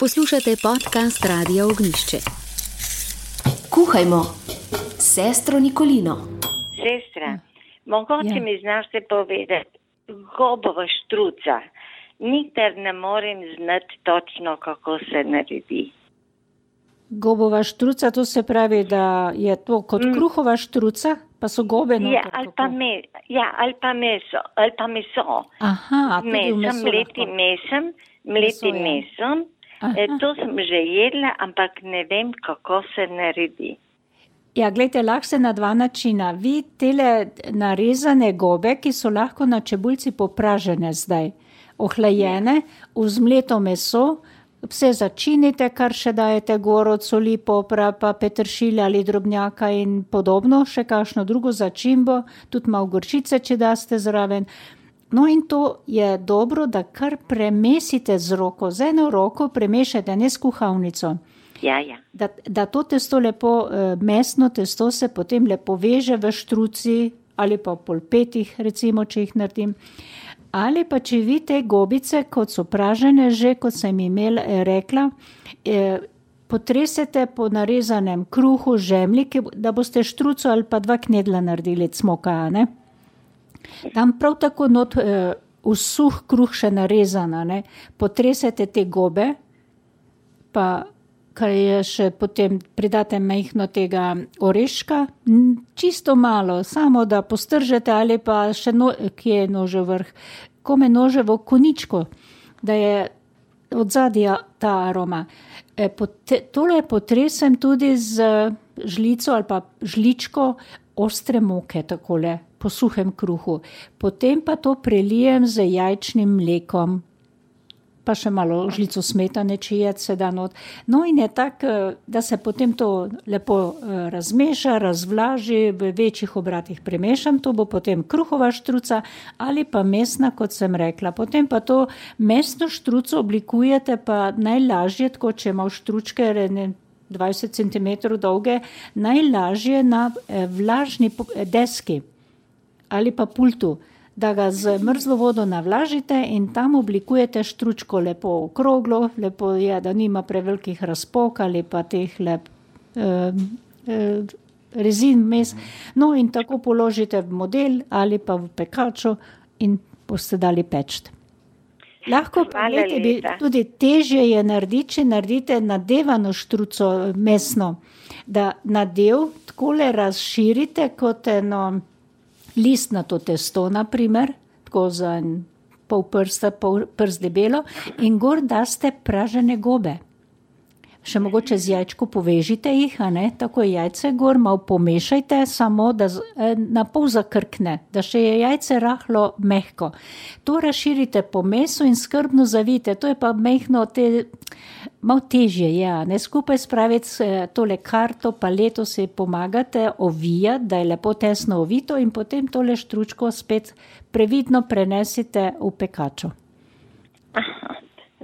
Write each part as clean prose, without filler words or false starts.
Poslušate podcast Radia Ognjišče. Kuhajmo s sestro Nikolino. Sestra, mogoče mi znaš te povedati, gobova štruca. Nikdar ne morem znati točno, kako se naredi. Gobova štruca, to se pravi, da je to kot kruhova štruca, pa so gobe noter. Ja, ali pa meso. Aha, tudi v meso mletim mesom. To sem že jedla, ampak ne vem, kako se naredi. Ja, gledajte, lahko se na dva načina. Vi tele narezane gobe, ki so lahko na čebuljci popražene zdaj, ohlajene, v zmleto meso, vse začinite, kar še dajete gor od soli, popra, pa peteršilja ali drobnjaka in podobno, še kakšno drugo začimbo, tudi malo gorčice, če daste zraven. No in to je dobro, da kar premesite z roko, z eno roko premešajte, ne s kuhalnico. Ja. Da to testo lepo, mesno testo se potem lepo veže v štruci ali pa v polpetih, recimo, če jih naredim. Ali pa če vi te gobice, kot so pražene že, kot sem rekla, potresete po narezanem kruhu, žemlji, da boste štruco ali pa 2 knedla naredili cmoka, ne? Tam prav tako not v suh kruh še narezana, ne? Potresete te gobe, pa kar je še potem pridate majhno tega oreška, čisto malo, samo da postržete ali pa še kje je nože vrh, kome noževo koničko, da je od zadja ta aroma. Tole potresem tudi z žlico ali pa žličko ostre moke, takole, po suhem kruhu. Potem pa to prelijem z jajčnim mlekom, pa še malo žlico smetane, če se da not. No in je tak, da se potem to lepo razmeša, razvlaži, v večjih obratih premešam, to bo potem kruhova štruca ali pa mesna, kot sem rekla. Potem pa to mesno štruco oblikujete pa najlažje, tako če ima štručke 20 cm dolge, najlažje na vlažni deski ali pa pultu, da ga z mrzlo vodo navlažite in tam oblikujete štručko lepo okroglo, lepo je, da nima prevelikih razpok ali pa teh rezin mes. No in tako položite v model ali pa v pekačo in boste dali peči. Lahko pa bi tudi težje je narediti, če naredite nadevano štruco mesno, da nadev takole razširite kot eno listnato testo, naprimer, tako za pol prst debelo, in gor daste pražene gobe. Še mogoče z jajčko povežite jih, a ne, tako jajce gor, malo pomešajte, samo da na pol zakrkne, da še je jajce rahlo mehko. To razširite po mesu in skrbno zavijte, to je pa mehno, malo težje je, ne, skupaj spraviti tole karto, paleto si pomagate ovijati, da je lepo tesno ovito in potem tole štručko spet previdno prenesite v pekačo.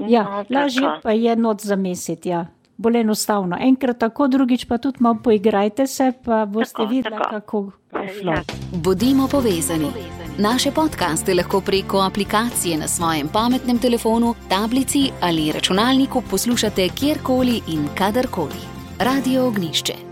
Ja, lažje pa je not zamesiti, ja. Bolj enostavno. Enkrat tako, drugič pa tudi malo poigrajte se, pa boste videli, kako bo šlo. Bodimo povezani. Naše podcaste lahko preko aplikacije na svojem pametnem telefonu, tablici ali računalniku poslušate kjerkoli in kadarkoli. Radio Ognjišče.